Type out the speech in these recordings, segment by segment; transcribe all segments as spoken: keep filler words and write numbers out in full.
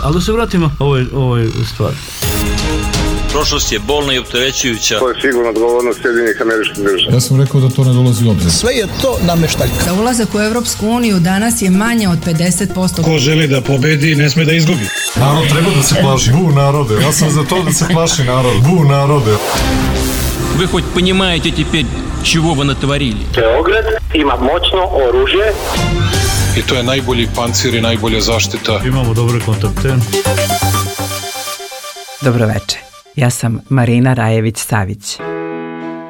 Ali da se vratimo ovoj, ovoj stvari. Prošlost je bolna i opterećujuća. To je sigurno odgovornost Sjedinjenih Američkih Država. Ja sam rekao da to ne dolazi u obzir. Sve je to nameštaljka. Za ulazak u Evropsku uniju danas je manje od pedeset posto. Ko želi da pobedi, ne sme da izgubi. Narod treba da se plaši. Bu narode. Ja sam za to da se plaši narod. Bu narode. Вы хоть понимаете теперь, чего вы натворили? Beograd ima moćno oružje. I to je najbolji pancir i najbolja zaštita. Imamo dobre kontakte. Dobroveče. Ja sam Marina Rajević-Savić.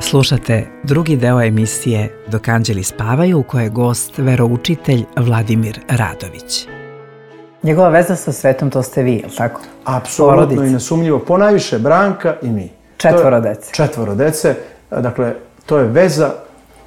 Slušate drugi deo emisije Dok anđeli spavaju, u kojoj je gost veroučitelj Vladimir Radović. Njegova veza sa svetom, to ste vi, je li tako? Apsolutno Porodice. I nesumnjivo. Ponajviše Branka i mi. Četvoro dece. Četvoro dece. Dakle, to je veza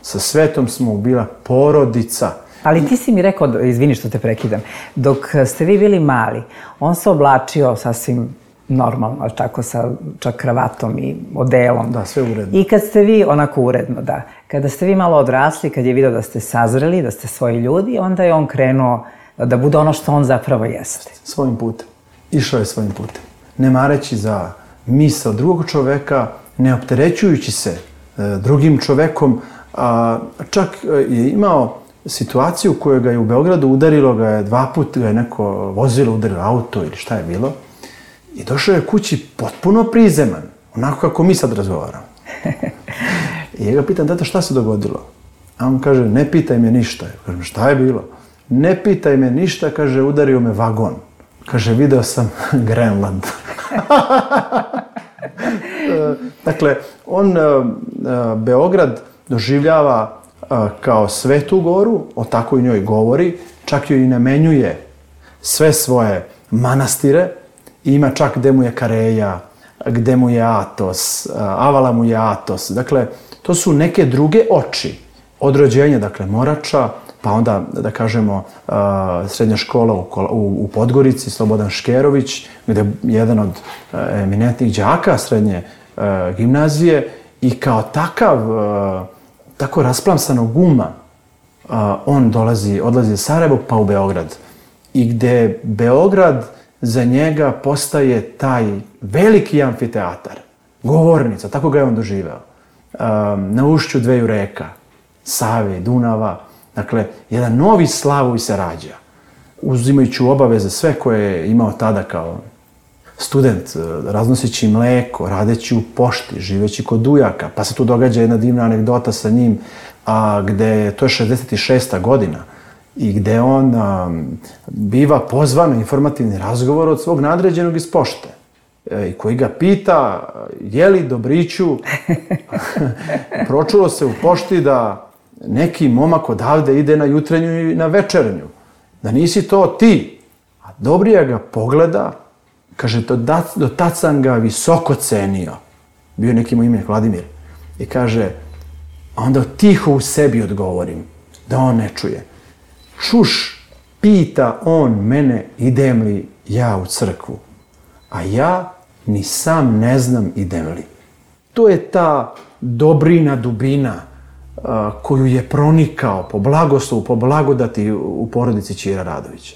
sa svetom, smo bila porodica. Ali ti si mi rekao, izvini što te prekidam, dok ste vi bili mali, on se oblačio sasvim normalno, tako sa čak kravatom i odelom. Da, sve uredno. I kad ste vi, onako uredno, da, kada ste vi malo odrasli, kad je vidio da ste sazreli, da ste svoji ljudi, onda je on krenuo da bude ono što on zapravo jeste. Svojim putem. Išao je svojim putem. Ne mareći za misao drugog čoveka, ne opterećujući se e, drugim čovekom, a čak je imao situaciju u kojoj ga je u Beogradu udarilo, ga je dva puta, ga je neko vozilo, udarilo auto ili šta je bilo. I došao je kući potpuno prizeman, onako kako mi sad razgovaramo. I ja ga pitam, tata, šta se dogodilo? A on kaže, ne pitaj me ništa. Ja kažem, šta je bilo? Ne pitaj me ništa, kaže, udario me vagon. Kaže, video sam Grenland. Dakle, on Beograd doživljava kao Svetu goru, o tako i njoj govori, čak joj i namenjuje sve svoje manastire, ima čak gde mu je Kareja, gde mu je Atos, Avala mu je Atos. Dakle, to su neke druge oči od rođenja, dakle, Morača, pa onda, da kažemo, srednja škola u Podgorici, Slobodan Škerović, gde je jedan od eminentnih đaka srednje gimnazije i kao takav, tako rasplamsanog uma, on dolazi, odlazi iz Sarajevo pa u Beograd. I gde Beograd za njega postaje taj veliki amfiteatar, govornica, tako ga je on doživeo. Na ušću dveju reka, Save, Dunava, dakle, jedan novi Slavoj se rađa, uzimajući u obaveze sve koje je imao tada kao student, raznoseći mleko, radeći u pošti, živeći kod ujaka, pa se tu događa jedna divna anegdota sa njim, a gde, to je šezdeset šesta godina, i gde on a, biva pozvan na informativni razgovor od svog nadređenog iz pošte, e, i koji ga pita, je li Dobriću, pročulo se u pošti da neki momak odavde ide na jutrenju i na večernju, da nisi to ti. A Dobrija ga pogleda, kaže, do, do tad sam ga visoko cenio. Bio je neki moj ime, Vladimir. I kaže, a onda tiho u sebi odgovorim, da on ne čuje. Čuš, pita on mene, idem li ja u crkvu. A ja ni sam ne znam idem li. To je ta dobrina, dubina a, koju je pronikao po blagoslovu, po blagodati u porodici Ćira Radovića.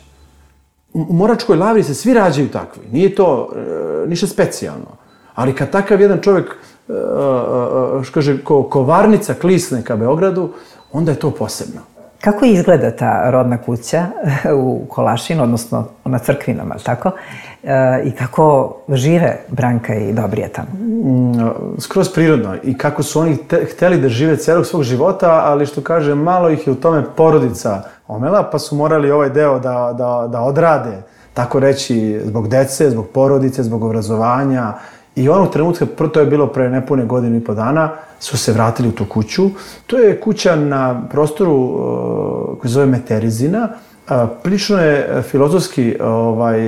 U Moračkoj Lavri se svi rađaju takvi. Nije to e, ništa specijalno. Ali kad takav jedan čovjek, e, e, što kaže, ko kovarnica klisne ka Beogradu, onda je to posebno. Kako izgleda ta rodna kuća u Kolašinu, odnosno na Crkvinama, tako? E, I kako žive Branka i Dobrija tamo? Skroz prirodno. I kako su oni te, hteli da žive celog svog života, ali što kaže, malo ih je u tome porodica omela, pa su morali ovaj deo da, da, da odrade, tako reći, zbog dece, zbog porodice, zbog obrazovanja. I onog trenutka, to je bilo pre nepune godine i po dana, su se vratili u tu kuću. To je kuća na prostoru uh, koji zove Meterizina. Uh, prilično je filozofski ovaj,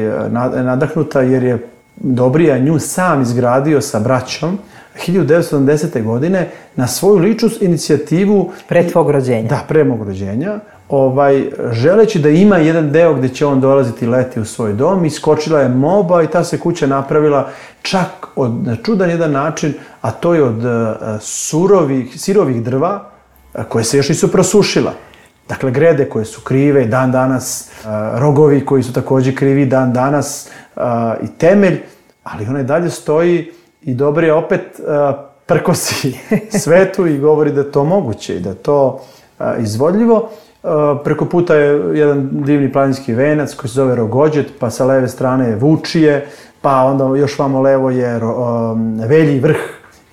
nadahnuta jer je Dobrija nju sam izgradio sa braćom hiljadu devetsto sedamdesete. godine na svoju ličnu inicijativu. Pre tvog rođenja. Da, pre mog rođenja. Ovaj, želeći da ima jedan deo gde će on dolaziti leti u svoj dom, iskočila je moba i ta se kuća napravila čak od, na čudan jedan način, a to je od uh, surovih, sirovih drva uh, koje se još nisu prosušila. Dakle, grede koje su krive dan danas, rogovi koji su također krivi dan danas i temelj, ali ona i dalje stoji i dobro je opet prkosi svetu i govori da je to moguće i da je to izvodljivo. Preko puta je jedan divni planinski venac koji se zove Rogođet, pa sa leve strane je Vučije, pa onda još vamo levo je Velji vrh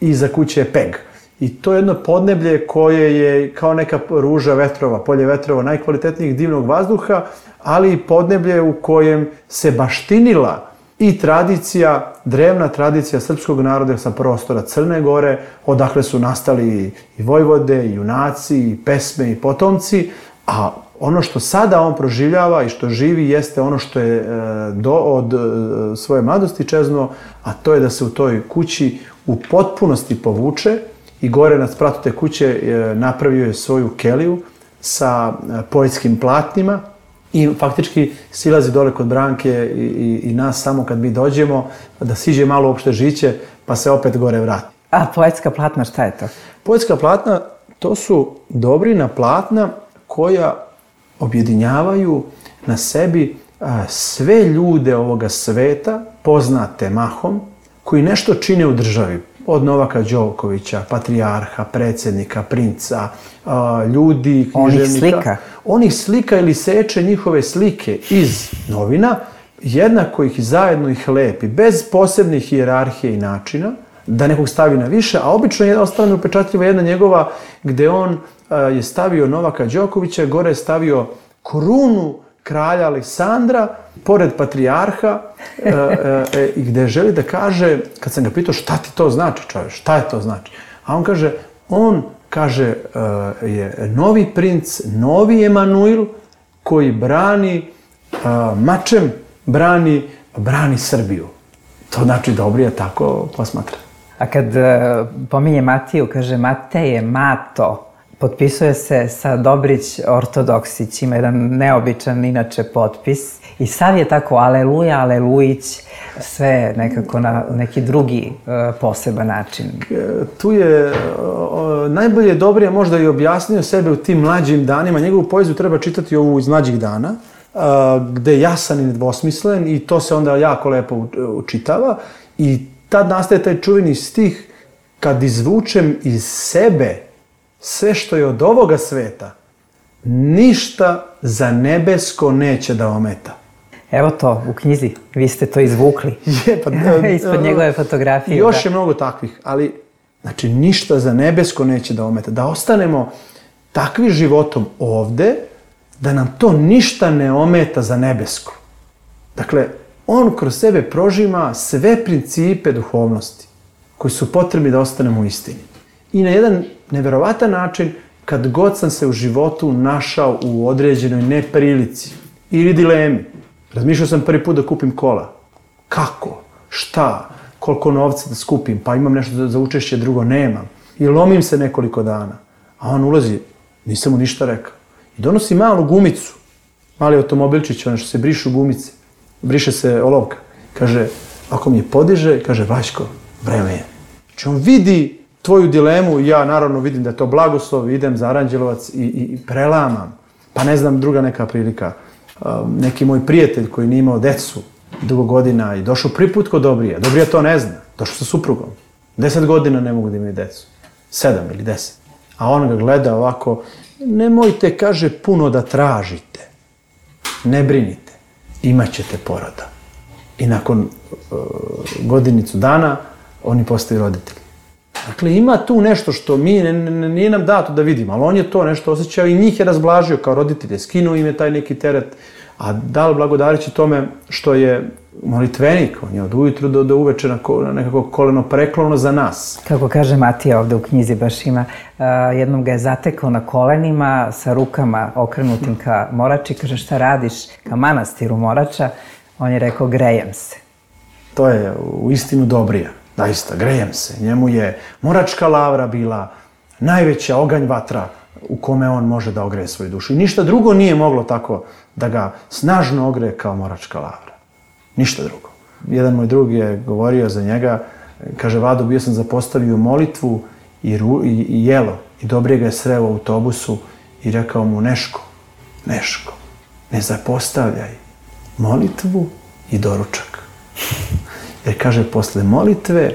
i iza kuće je Peg. I to je jedno podneblje koje je kao neka ruža vetrova, polje vetrova, najkvalitetnijeg divnog vazduha, ali i podneblje u kojem se baštinila i tradicija, drevna tradicija srpskog naroda sa prostora Crne Gore, odakle su nastali i vojvode, i junaci, i pesme, i potomci, a ono što sada on proživljava i što živi jeste ono što je do, od svoje mladosti čeznuo, a to je da se u toj kući u potpunosti povuče i gore na spratu te kuće napravio je svoju keliju sa poetskim platnima i faktički silazi dole kod Branke i, i, i nas samo kad mi dođemo da siđe malo uopšte žiće pa se opet gore vrati. A poetska platna, šta je to? Poetska platna, to su dobrina platna koja objedinjavaju na sebi a, sve ljude ovoga sveta, poznate mahom, koji nešto čine u državi. Od Novaka Đokovića, patrijarha, predsjednika, princa, a, ljudi, književnika. Onih slika? Onih slika ili seče njihove slike iz novina, jednako ih zajedno ih lepi, bez posebnih hijerarhije i načina, da nekog stavi na više, a obično je ostane upečatljiva jedna njegova gde on a, je stavio Novaka Đokovića, gore je stavio krunu kralja Aleksandra, pored patrijarha, e, e, i gde želi da kaže, kad sam ga pitao šta ti to znači, čovječ, šta je to znači? A on kaže, on kaže e, je novi princ, novi Emanuil, koji brani, e, mačem brani, brani Srbiju. To znači Dobrija tako posmatra. A kad e, pominje Matiju, kaže Matej je Mato, potpisuje se sa Dobrić Ortodoksić, ima jedan neobičan inače potpis i sav je tako aleluja, alelujić, sve nekako na neki drugi e, poseban način. Tu je o, najbolje Dobrija možda i objasnio sebe u tim mlađim danima. Njegovu poeziju treba čitati ovu iz mlađih dana, a, gde je jasan i nedvosmislen i to se onda jako lepo učitava i tad nastaje taj čuveni stih kad izvučem iz sebe sve što je od ovoga sveta, ništa za nebesko neće da ometa. Evo to, u knjizi, vi ste to izvukli. Je, pa, ispod njegove fotografije. Još da. je mnogo takvih, ali znači ništa za nebesko neće da ometa. Da ostanemo takvi životom ovde, da nam to ništa ne ometa za nebesko. Dakle, on kroz sebe prožima sve principe duhovnosti koji su potrebni da ostanemo u istini. I na jedan neverovatan način, kad god sam se u životu našao u određenoj neprilici ili dilemi, razmišljao sam prvi put da kupim kola. Kako? Šta? Koliko novca da skupim? Pa imam nešto za učešće, drugo nemam. I lomim se nekoliko dana. A on ulazi, nisam mu ništa rekao. I donosi malu gumicu, mali automobilčić, ono što se brišu gumice. Briše se olovka. Kaže, ako mi je podiže, kaže, Vaško, vreme je. Znači on vidi tvoju dilemu, ja naravno vidim da je to blagoslov, idem za Aranđelovac i, i prelamam. Pa ne znam, druga neka prilika. Um, neki moj prijatelj koji nije imao decu dugo godina i došao prvi put kod Dobrija. Dobrija to ne zna. Došao sa suprugom. Deset godina ne mogu da imaju decu. Sedam ili deset. A on ga gleda ovako, nemojte, kaže, puno da tražite. Ne brinite. Imaćete poroda. I nakon uh, godinicu dana oni postaju roditelji. Dakle, ima tu nešto što mi, ne, ne, nije nam dato da vidimo, ali on je to nešto osjećao i njih je razblažio kao roditelje, skinuo im je taj neki teret, a dal blagodarići tome što je molitvenik, on je od ujutru do, do uveče na, na nekako koleno preklono za nas. Kako kaže Matija ovde u knjizi, baš ima, uh, jednom ga je zatekao na kolenima sa rukama okrenutim ka Morači, kaže šta radiš ka manastiru Morača, on je rekao grejem se. To je u istinu Dobrija. Daista, grejem se. Njemu je Moračka lavra bila najveća oganj vatra u kome on može da ogreje svoju dušu. I ništa drugo nije moglo tako da ga snažno ogreje kao Moračka lavra. Ništa drugo. Jedan moj drug je govorio za njega, kaže, Vado, bio sam zapostavio molitvu i, ru, i, i jelo. I Dobrije ga je sreo u autobusu i rekao mu Neško, Neško, ne zapostavljaj molitvu i doručak. Jer kaže, posle molitve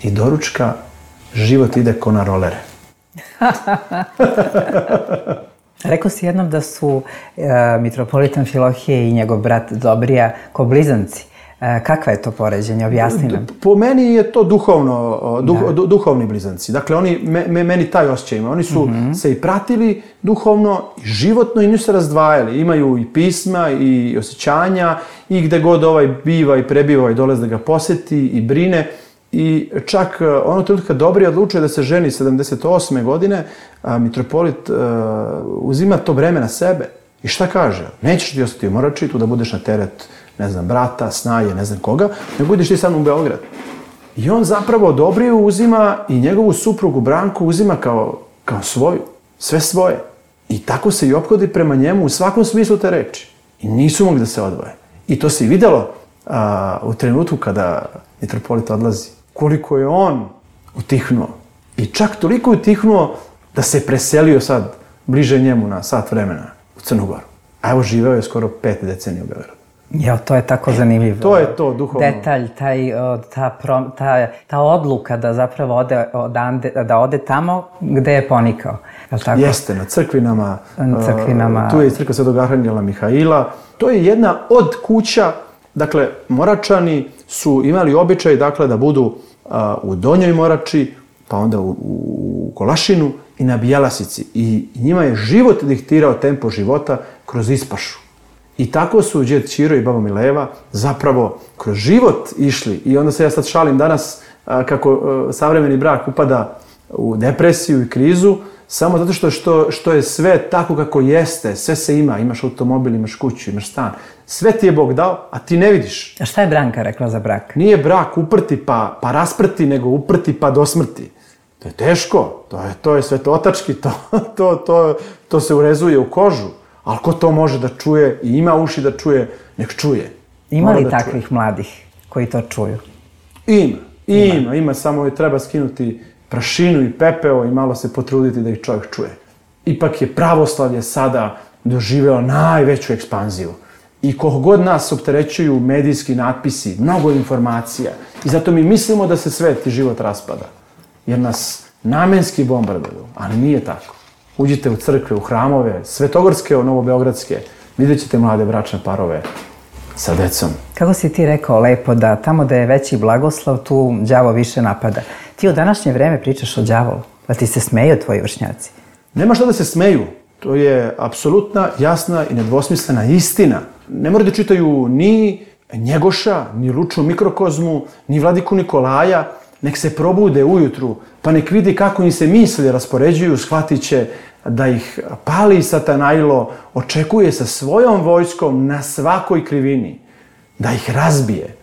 i doručka život ide ko na rolere. Rekao si jednom da su e, mitropolitan Filohije i njegov brat Dobrija ko blizanci. E, kakva je to poređenje? Objasni nam. Po meni je to duhovno, duh, du, duhovni blizanci. Dakle, oni, me, me, meni taj osjećaj ima. Oni su mm-hmm. se i pratili duhovno, i životno, i nisu se razdvajali. Imaju i pisma, i osjećanja, i gde god ovaj biva i prebiva i dolazi da ga poseti i brine. I čak ono trenutka Dobrija odlučuje da se ženi sedamdeset osme godine, a mitropolit uh, uzima to breme na sebe. I šta kaže? Nećeš ti ostati u Morači, tu da budeš na teret, ne znam, brata, snaje, ne znam koga, nego ideš ti sad u Beograd. I on zapravo Dobriju uzima i njegovu suprugu Branku uzima kao, kao svoju, sve svoje. I tako se i ophodi prema njemu u svakom smislu te reči. I nisu mogli da se odvoje. I to se i vidjelo a, u trenutku kada mitropolit odlazi. Koliko je on utihnuo. I čak toliko utihnuo da se preselio sad bliže njemu na sat vremena u Crnu Goru. A evo živeo je skoro pet decenija u Beogradu. Jo, to je tako zanimljivo. To je to duhovno. Detalj, taj, ta, prom, ta, ta odluka da zapravo ode, odande, da ode tamo gde je ponikao. Je tako? Jeste, na crkvinama. Na crkvinama. Uh, tu je i crkva Svetog Arhangela Mihaila. To je jedna od kuća. Dakle, Moračani su imali običaj, dakle, da budu uh, u Donjoj Morači, pa onda u, u Kolašinu i na Bjelasici. I njima je život diktirao tempo života kroz ispašu. I tako su džed Ćiro i baba Mileva zapravo kroz život išli. I onda se ja sad šalim danas uh, kako uh, savremeni brak upada u depresiju i krizu, samo zato što, što, što je sve tako kako jeste, sve se ima, imaš automobil, imaš kuću, imaš stan, sve ti je Bog dao, a ti ne vidiš. A šta je Branka rekla za brak? Nije brak uprti pa, pa rasprti, nego uprti pa do smrti. To je teško, to je, to je svetotački, to, to, to, to se urezuje u kožu, ali ko to može da čuje i ima uši da čuje, nek čuje. Ima li takvih čuje. Mladih koji to čuju? Ima, ima, ima, ima samo treba skinuti prašinu i pepeo i malo se potruditi da ih čovjek čuje. Ipak je pravoslavlje sada doživjelo najveću ekspanziju. I koliko god nas opterećuju medijski natpisi, mnogo informacija. I zato mi mislimo da se svet i život raspada. Jer nas namenski bombarduju, ali nije tako. Uđite u crkve, u hramove, svetogorske, novobeogradske, vidjet ćete mlade bračne parove sa decom. Kako si ti rekao lepo da tamo da je veći blagoslov, tu đavo više napada. Ti u današnje vreme pričaš o đavolu, da ti se smeju tvoji vršnjaci. Nema šta da se smeju. To je apsolutna, jasna i nedvosmislena istina. Ne moraju da čitaju ni Njegoša, ni Luču Mikrokozmu, ni Vladiku Nikolaja. Nek se probude ujutru, pa nek vidi kako im se misli raspoređuju, shvatit će da ih pali Satanajlo, očekuje sa svojom vojskom na svakoj krivini, da ih razbije.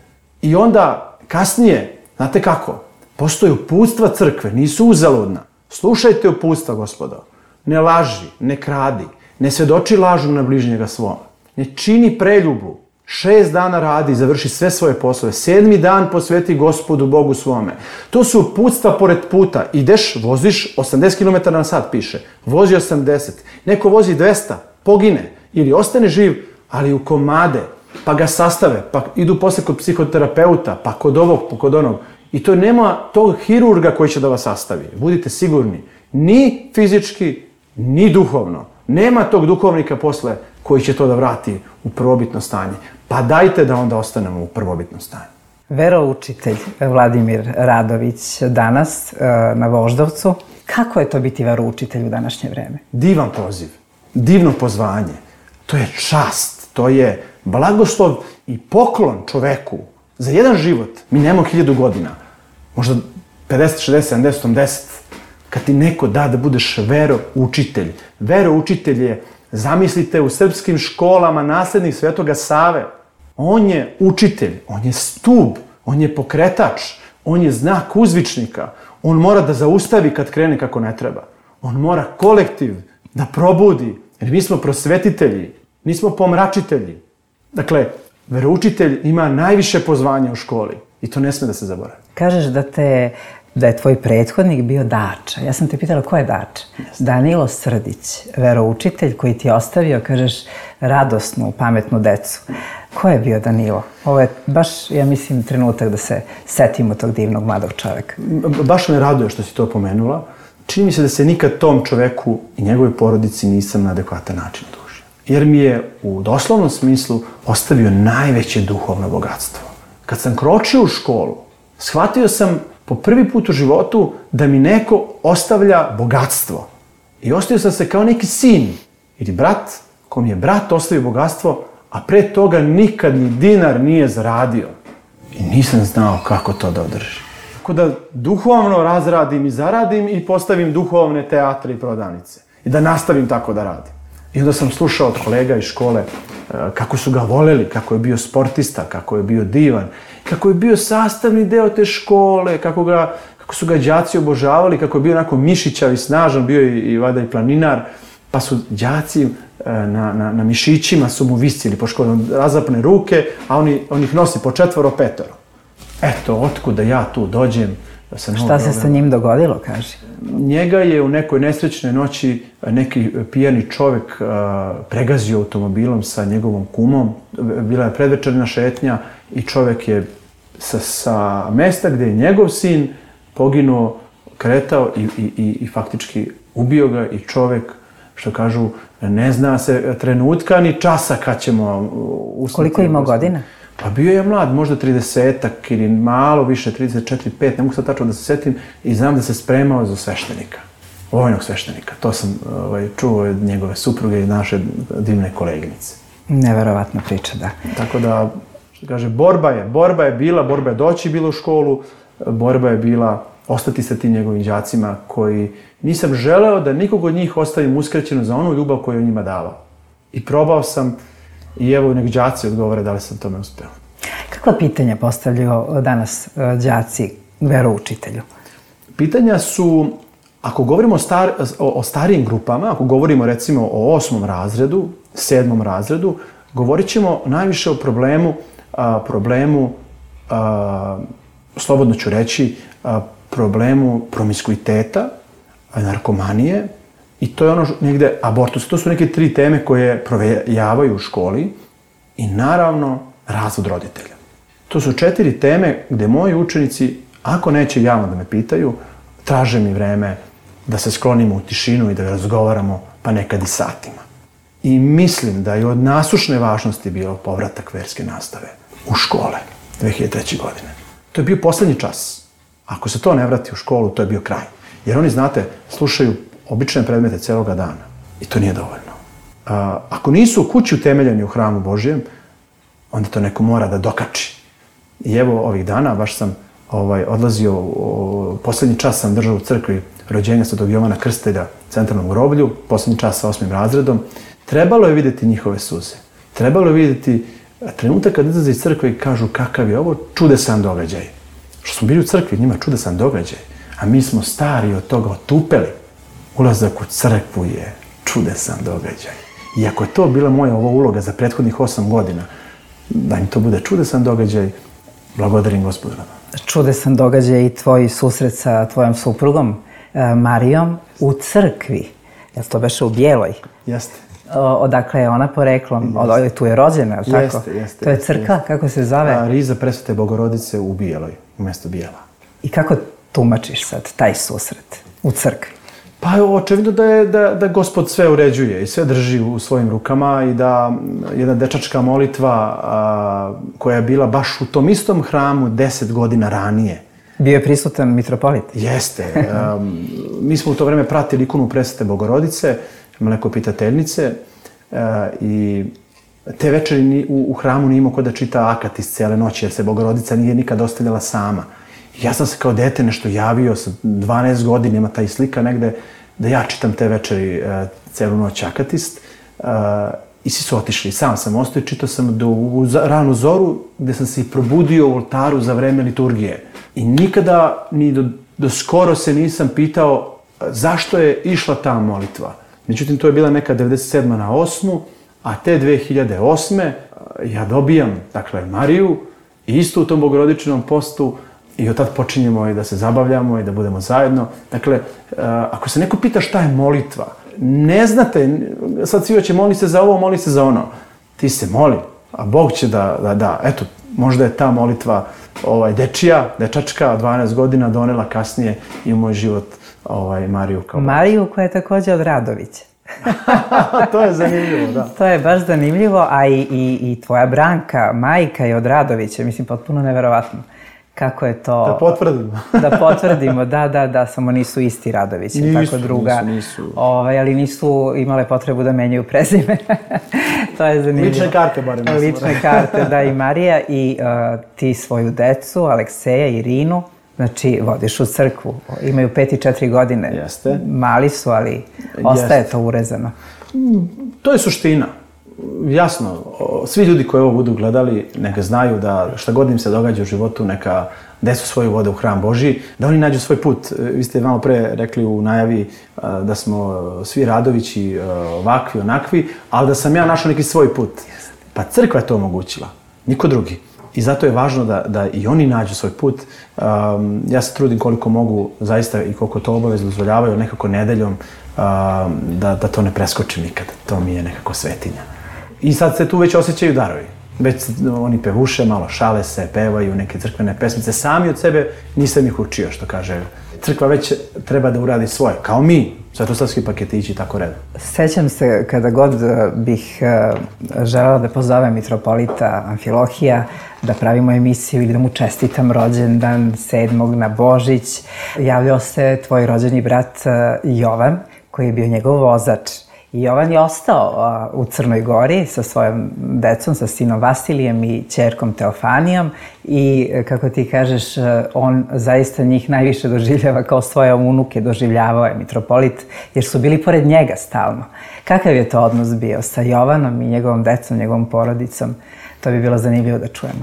I onda, kasnije, znate kako, postoje uputstva crkve, nisu uzaludna. Slušajte uputstva, gospodo. Ne laži, ne kradi, ne svedoči lažu na bližnjega svoma. Ne čini preljubu. Šest dana radi i završi sve svoje poslove. Sedmi dan posveti Gospodu Bogu svome. To su uputstva pored puta. Ideš, voziš, osamdeset kilometara na sat piše. Vozi osamdeset. Neko vozi dvesta, pogine. Ili ostane živ, ali u komade. Pa ga sastave, pa idu posle kod psihoterapeuta, pa kod ovog, pa kod onog. I to nema tog hirurga koji će da vas sastavi. Budite sigurni. Ni fizički, ni duhovno. Nema tog duhovnika posle koji će to da vrati u prvobitno stanje. Pa dajte da onda ostanemo u prvobitnom stanju. Veroučitelj Vladimir Radović danas na Voždovcu. Kako je to biti veroučitelj u današnje vreme? Divan poziv, divno pozvanje. To je čast, to je blagoslov i poklon čoveku. Za jedan život, mi nemamo hiljadu godina, možda pedeset, šezdeset, sedamdeset, osamdeset, kad ti neko da da budeš veroučitelj. Veroučitelj je, zamislite, u srpskim školama naslednik Svetoga Save. On je učitelj, on je stub, on je pokretač, on je znak uzvičnika. On mora da zaustavi kad krene kako ne treba. On mora kolektiv da probudi, jer mi smo prosvetitelji, nismo pomračitelji. Dakle, veroučitelj ima najviše pozvanja u školi i to ne sme da se zaboravi. Kažeš da te da je tvoj prethodnik bio Dača. Ja sam te pitala ko je Dača? Danilo Srdić, veroučitelj koji ti je ostavio, kažeš, radosnu, pametnu decu. Ko je bio Danilo? Ovo je baš, ja mislim, trenutak da se setimo tog divnog mladog čoveka. Baš me raduje što si to pomenula. Čini mi se da se nikad tom čoveku i njegovoj porodici nisam na adekvatan način dužio. Jer mi je u doslovnom smislu ostavio najveće duhovno bogatstvo. Kad sam kročio u školu, shvatio sam po prvi put u životu da mi neko ostavlja bogatstvo. I ostavio sam se kao neki sin ili brat, kom je brat ostavio bogatstvo, a pre toga nikad ni dinar nije zaradio. I nisam znao kako to da održim. Tako da duhovno razradim i zaradim i postavim duhovne teatre i prodavnice. I da nastavim tako da radim. I onda sam slušao od kolega iz škole kako su ga voleli, kako je bio sportista, kako je bio divan, kako je bio sastavni deo te škole, kako, ga, kako su ga đaci obožavali, kako je bio onako mišićav i snažan, bio i, i vada i planinar, pa su đaci na, na, na mišićima su mu visili po školi, razapne ruke, a on, on ih nosi po četvoro, petoro. Eto, otkuda ja tu dođem. Šta se sa njim dogodilo, kaži? Njega je u nekoj nesrećnoj noći neki pijani čovjek pregazio automobilom sa njegovom kumom. Bila je predvečerna šetnja i čovjek je sa, sa mesta gdje je njegov sin poginuo, kretao i, i, i, i faktički ubio ga i čovjek, što kažu, ne zna se trenutka ni časa kad ćemo usniti. Koliko je imao godina? Pa bio je mlad, možda tridesetak ili malo više, trideset četiri, pet, ne mogu sad tačno da se setim, i znam da se spremao za sveštenika, vojnog sveštenika. To sam ovaj, čuo od njegove supruge i naše divne koleginice. Neverovatna priča, da. Tako da, što kaže, borba je, borba je bila, borba je doći bila u školu, borba je bila ostati sa tim njegovim đacima koji nisam želeo da nikog od njih ostavim uskraćeno za onu ljubav koju je njima davao. I probao sam. I evo nek đaci odgovore da li sam tome uspeo. Kakva pitanja postavljaju danas đaci veroučitelju? Pitanja su, ako govorimo o, star, o, o starijim grupama, ako govorimo recimo o osmom razredu, sedmom razredu, govorit ćemo najviše o problemu, a, problemu, a, slobodno ću reći, a, problemu promiskuiteta, narkomanije, i to je ono negde abortus. To su neke tri teme koje provejavaju u školi i naravno razvod roditelja. To su četiri teme gde moji učenici, ako neće javno da me pitaju, traže mi vreme da se sklonimo u tišinu i da razgovaramo, pa nekad i satima. I mislim da je od nasušne važnosti bio povratak verske nastave u škole dve hiljade treće. godine. To je bio poslednji čas. Ako se to ne vrati u školu, to je bio kraj. Jer oni, znate, slušaju obične predmete celoga dana. I to nije dovoljno. A, ako nisu u kući utemeljeni u hramu Božjem, onda to neko mora da dokači. I evo ovih dana, baš sam ovaj, odlazio, o, poslednji čas sam držao u crkvi rođenja Svetog Jovana Krstitelja, centralnom groblju, poslednji čas sa osmim razredom. Trebalo je vidjeti njihove suze. Trebalo je vidjeti trenutak kad izlaze iz crkve i kažu kakav je ovo čudesan događaj. Što smo bili u crkvi, njima čudesan događaj. A mi smo stari od toga otupeli. Ulazak u crkvu je čudesan događaj. I ako je to bila moja ova uloga za prethodnih osam godina, da im to bude čudesan događaj, blagodarim Gospodu. Čudesan događaj i tvoj susret sa tvojom suprugom, Marijom, u crkvi. Jel to beše u Bijeloj? Jeste. Odakle je ona poreklom? Od, tu je rođena, je li tako? Jeste, jeste. To je crkva, jeste. Kako se zove? A, Riza Presvete Bogorodice u Bijeloj, u mjestu Bijela. I kako tumačiš sad taj susret u crkvi? Pa očevidno da je da, da Gospod sve uređuje i sve drži u svojim rukama i da jedna dečačka molitva a, koja je bila baš u tom istom hramu deset godina ranije. Bio je prisutan mitropolit? Jeste. A, mi smo u to vreme pratili ikonu Presvete Bogorodice, mlekopitateljnice, a, i te večeri u, u hramu nije imao ko da čita akatis cijele noći jer se Bogorodica nije nikad ostavljala sama. Ja sam se kao dete nešto javio sa dvanaest godina, ima taj slika negde, da ja čitam te večeri uh, celu noć akatist. Uh, I svi su otišli. Sam sam ostao i čitao sam do u ranu zoru, gde sam se i probudio u oltaru za vreme liturgije. I nikada, ni do, do skoro se nisam pitao zašto je išla ta molitva. Međutim, to je bila neka devedeset sedma na osmu, a te dve hiljade osme ja dobijam, dakle, Mariju, i isto u tom bogorodičnom postu I od tad počinjemo i da se zabavljamo i da budemo zajedno. Dakle, ako se neko pita šta je molitva, ne znate, sad svi hoće moli se za ovo, moli se za ono. Ti se moli, a Bog će da, da, da. Eto, možda je ta molitva ovaj, dečija, dečačka od dvanaest godina donela kasnije i u moj život ovaj, Mariju kao... Mariju koja je također od Radovića. To je zanimljivo, da. To je baš zanimljivo, a i, i, i tvoja Branka, majka je od Radovića, mislim, potpuno neverovatno. Kako je to... Da potvrdimo. Da potvrdimo, da, da, da, samo nisu isti Radovići, nisu, tako druga. Nisu, nisu. Ovaj, ali nisu imale potrebu da menjaju prezime. To je zanimljivo. Lične karte, barem. Lične karte, da, i Marija i uh, ti svoju decu, Alekseja i Irinu, znači vodiš u crkvu. Imaju pet i četiri godine. Jeste. Mali su, ali ostaje Jeste. to urezano. To je suština. Jasno, svi ljudi koji ovo budu gledali, neka znaju da šta god im se događa u životu, neka decu svoju vode u hram Božji, da oni nađu svoj put. Vi ste malo pre rekli u najavi da smo svi Radovići ovakvi, onakvi, ali da sam ja našao neki svoj put. Pa crkva je to omogućila, niko drugi. I zato je važno da, da i oni nađu svoj put. Um, ja se trudim koliko mogu, zaista i koliko to obavez dozvoljavaju, nekako nedeljom, um, da, da to ne preskočim nikad. To mi je nekako svetinja. I sad se tu već osjećaju darovi. Već oni pevuše, malo šale se, pevaju neke crkvene pesmice. Sami od sebe nisam ih učio, što kaže. Crkva već treba da uradi svoje, kao mi, svetosavski paketići, tako redom. Sećam se kada god bih želela da pozovem mitropolita Amfilohija, da pravimo emisiju ili da mu čestitam rođendan sedmog na Božić, javljao se tvoj rođeni brat Jovan, koji je bio njegov vozač. I Jovan je ostao u Crnoj Gori sa svojom decom, sa sinom Vasilijem i ćerkom Teofanijom i, kako ti kažeš, on zaista njih najviše doživljava kao svoje unuke, doživljavao je mitropolit, jer su bili pored njega stalno. Kakav je to odnos bio sa Jovanom i njegovom decom, njegovom porodicom? To bi bilo zanimljivo da čujemo.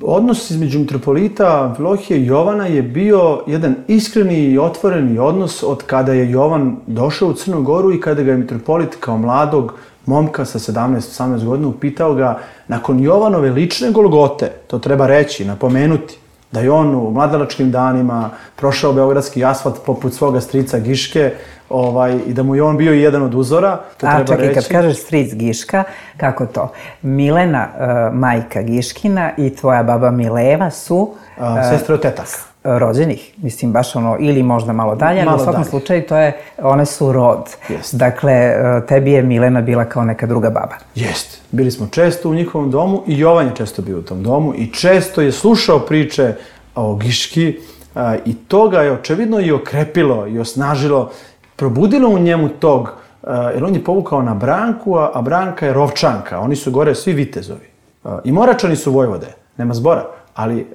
Odnos između mitropolita Amfilohije i Jovana je bio jedan iskreni i otvoreni odnos od kada je Jovan došao u Crnu Goru i kada ga je mitropolit kao mladog momka sa sedamnaest osamnaest godina upitao ga nakon Jovanove lične Golgote, to treba reći, napomenuti, da je on u mladalačkim danima prošao beogradski asfalt poput svoga strica Giške, ovaj, i da mu je on bio jedan od uzora, to A, treba čekaj, reći. kad kažeš stric Giška, kako to? Milena, uh, majka Giškina i tvoja baba Mileva su... Uh, Sestre od tetaka. Rođenih, mislim, baš ono, ili možda malo dalje, ali u svakom dalje. slučaju to je, one su rod. Jest. Dakle, tebi je Milena bila kao neka druga baba. Jeste. Bili smo često u njihovom domu i Jovan je često bio u tom domu i često je slušao priče o Giški a, i to ga je očevidno i okrepilo i osnažilo, probudilo u njemu tog, a, jer on je povukao na Branku, a, a Branka je Rovčanka, oni su gore svi vitezovi. A, I Moračani su Vojvode, nema zbora, ali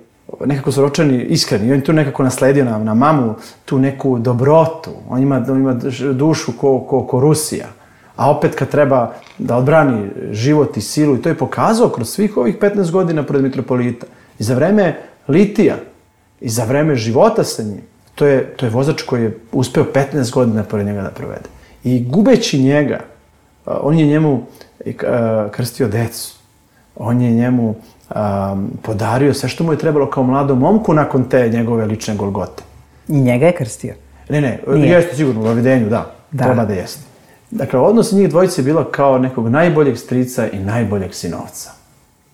nekako su Rovčani iskreni i on je tu nekako nasledio na, na mamu tu neku dobrotu, on ima, on ima dušu ko, ko, ko Rusija. A opet kad treba da odbrani život i silu, i to je pokazao kroz svih ovih petnaest godina pred mitropolita. I za vreme litija, i za vreme života sa njim, to je, to je vozač koji je uspeo petnaest godina pored njega da provede. I gubeći njega, on je njemu krstio decu, on je njemu um, podario sve što mu je trebalo kao mladom momku nakon te njegove lične Golgote. I njega je krstio? Ne, ne, Nije. jeste sigurno u Vavidenju, da, da, treba da jeste. Dakle, odnos njih dvojice je bilo kao nekog najboljeg strica i najboljeg sinovca.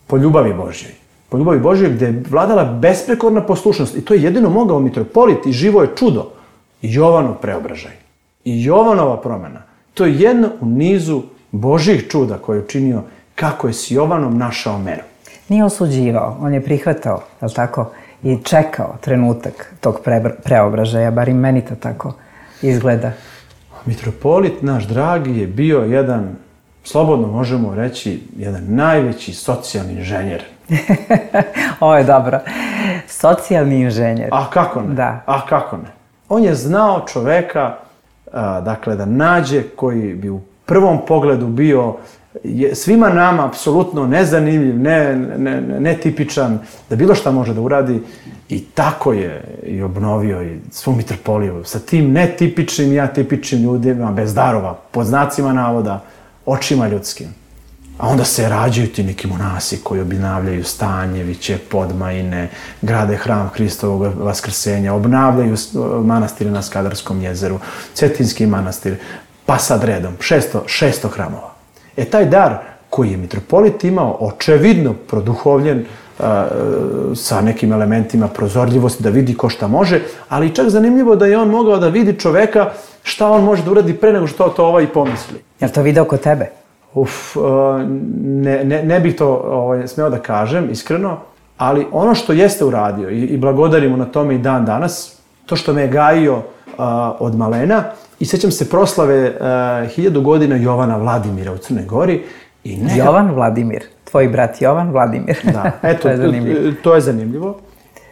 Po ljubavi Božjoj. Po ljubavi Božjoj gdje je vladala besprekorna poslušnost. I to je jedino mogao mitropolit i živo je čudo. I Jovanov preobražaj. I Jovanova promjena. To je jedno u nizu Božjih čuda koje je učinio kako je s Jovanom našao meru. Nije osuđivao, on je prihvatao, je li tako, i čekao trenutak tog pre, preobražaja, bar i meni to tako izgleda. Mitropolit, naš dragi, je bio jedan, slobodno možemo reći, jedan najveći socijalni inženjer. Ovo je dobro. Socijalni inženjer. A kako ne? Da. A kako ne? On je znao čoveka, a, dakle, da nađe koji bi u prvom pogledu bio je, svima nama apsolutno nezanimljiv, ne, ne, ne tipičan, da bilo šta može da uradi. I tako je i obnovio i svu mitropoliju sa tim netipičnim i atipičnim ljudima, bez darova, pod znacima navoda, očima ljudskim. A onda se rađaju ti neki monasi koji obnavljaju Stanjeviće, Podmajine, grade hram Hristovog vaskrsenja, obnavljaju manastire na Skadarskom jezeru, Cetinski manastir, pa sad redom, šesto hramova. E taj dar koji je mitropolit imao, očevidno produhovljen, sa nekim elementima prozorljivosti, da vidi ko šta može, ali čak zanimljivo da je on mogao da vidi čoveka šta on može da uradi pre nego što to ovaj pomisli. Je li to video kod tebe? Uf, ne, ne, ne bih to ovaj, smeo da kažem, iskreno, ali ono što jeste uradio i, i blagodarimo na tome i dan danas, to što me je gajio uh, od malena, i sećam se proslave uh, hiljadu godina Jovana Vladimira u Crnoj Gori. I neka... Jovan Vladimir, tvoj brat Jovan Vladimir. Da, eto, to, je zanimljivo. to je zanimljivo.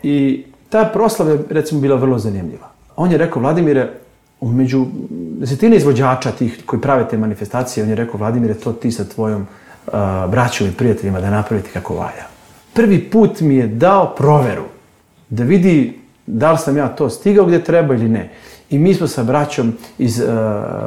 I ta proslava je, recimo, bila vrlo zanimljiva. On je rekao, Vladimire, među desetine izvođača tih koji prave te manifestacije, on je rekao, Vladimire, to ti sa tvojom uh, braćom i prijateljima da napravite kako valja. Prvi put mi je dao proveru da vidi da li sam ja to stigao gdje treba ili ne. I mi smo sa braćom iz uh,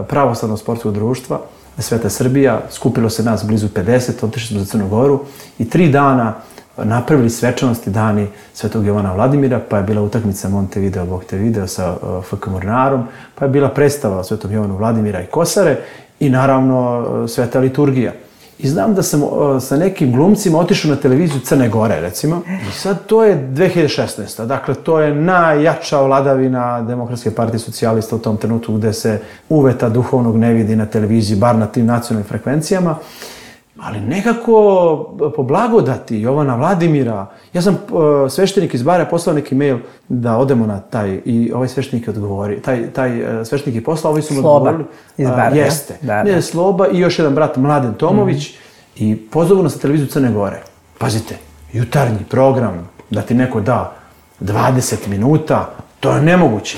Pravoslavnog sportskog društva Sveta Srbija, skupilo se nas blizu pedeset, otišli smo za Crnu Goru i tri dana napravili svečanosti dani Svetog Jovana Vladimira, pa je bila utakmica Montevideo, Bog te video sa uh, F K Mornarom, pa je bila predstava o Svetom Jovanu Vladimira i Kosare i naravno uh, Sveta liturgija. I znam da sam uh, sa nekim glumcima otišao na televiziju Crne Gore, recimo, i sad to je dve hiljade šesnaesta. Dakle, to je najjača vladavina Demokratske partije socijalista u tom trenutku gde se uveta duhovnog ne vidi na televiziji, bar na tim nacionalnim frekvencijama. Ali nekako po blagodati Jovana Vladimira, ja sam uh, sveštenik iz Bara poslao neki mail da odemo na taj, i ovaj sveštenik je odgovori, taj, taj uh, sveštenik je poslao, ovi su mu odgovorili. Iz Bara, uh, jeste. Da, ne, da. Sloba i još jedan brat Mladen Tomović mm-hmm. i pozovu nas na televiziju Crne Gore. Pazite, jutarnji program, da ti neko da dvadeset minuta, to je nemoguće.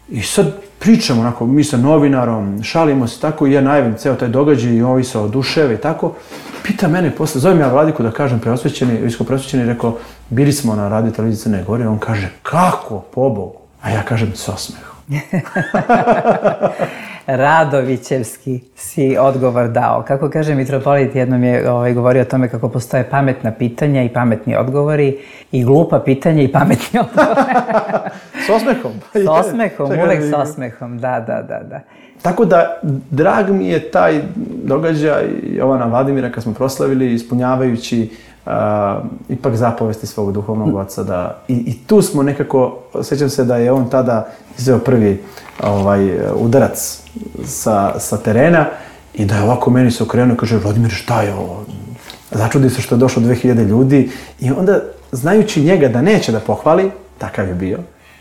I sad pričamo, onako, mi sa novinarom, šalimo se tako i ja najavim ceo taj događaj i ovi se oduševe i tako. Pita mene posle, zovem ja Vladiku da kažem preosvećeni, visko preosvećeni, rekao, bili smo na radio televiziji Crne Gore, on kaže, kako, pobogu? A ja kažem, s osmehom. Radovićevski si odgovor dao. Kako kaže mitropolit, jednom je ovaj, govorio o tome kako postoje pametna pitanja i pametni odgovori i glupa pitanja i pametni odgovori. S osmehom. S osmehom, uvek s osmehom, da, da, da, da. Tako da, drag mi je taj događaj Jovana Vladimira kad smo proslavili, ispunjavajući uh, ipak zapovesti svog duhovnog oca. Da, i, I tu smo nekako, sjećam se da je on tada izveo prvi ovaj, udarac sa, sa terena i da je ovako meni se okrenuo i kaže, Vladimir, šta je ovo? Začudi se što je došlo dve hiljade ljudi i onda, znajući njega da neće da pohvali, takav je bio,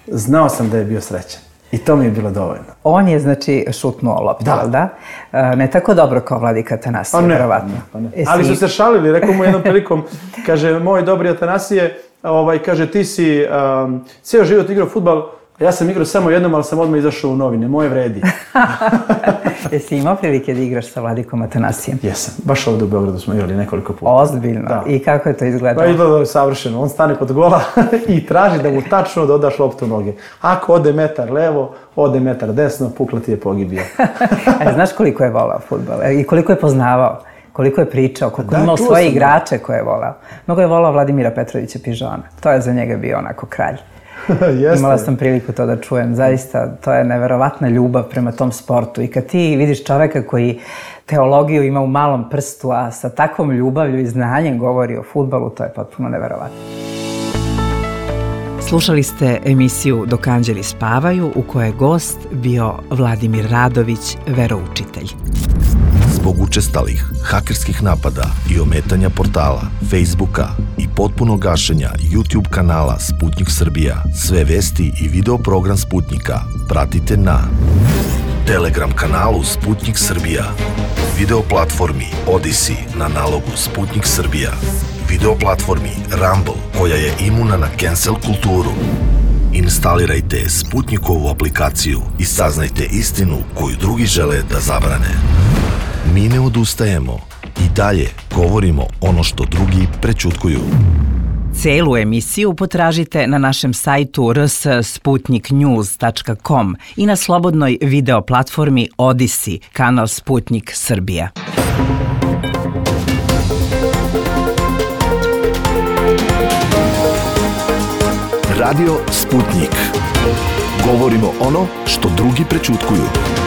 znao sam da je bio srećan. I to mi je bilo dovoljno. On je, znači, šutnuo loptu, da? da? Ne tako dobro kao Vladika Atanasije, vjerovatno. Pa ne. Ali su se šalili, rekao mu jednom prilikom, kaže, moj dobri Atanasije, ovaj, kaže, ti si um, cijel život igrao fudbal, ja sam igrao samo jednom, ali sam odmah izašao u novine, moje vredi. Jesi imao prilike da igraš sa Vladikom Atanasijem? Jesam, baš ovdje u Beogradu smo igrali nekoliko puta. Ozbiljno? Da. I kako je to izgledalo? Pa izgledalo je savršeno, on stane kod gola i traži da mu tačno dodaš loptu u noge. Ako ode metar levo, ode metar desno, pukla ti je pogibija. A znaš koliko je volao fudbal i koliko je poznavao? Koliko je pričao, koliko je imao svoje igrače koje je volao. Mnogo je volao Vladimira Petrovića Pižona. To je za njega bio onako kralj. Imala sam priliku to da čujem. Zaista, to je neverovatna ljubav prema tom sportu. I kad ti vidiš čoveka koji teologiju ima u malom prstu, a sa takvom ljubavlju i znanjem govori o fudbalu, to je potpuno neverovatno. Slušali ste emisiju Dok anđeli spavaju, u kojoj je gost bio Vladimir Radović, veroučitelj. Zbog učestalih hakerskih napada i ometanja portala, Facebooka i potpunog gašenja YouTube kanala Sputnik Srbija, sve vesti i video program Sputnika pratite na Telegram kanalu Sputnik Srbija, video platformi Odyssey na nalogu Sputnik Srbija, video platformi Rumble koja je imuna na cancel kulturu. Instalirajte Sputnikovu aplikaciju i saznajte istinu koju drugi žele da zabrane. Mi ne odustajemo i dalje govorimo ono što drugi prećutkuju. Celu emisiju potražite na našem sajtu r s sputnik news tačka com i na slobodnoj video platformi Odyssey, kanal Sputnik Srbija. Radio Sputnik. Govorimo ono što drugi prećutkuju.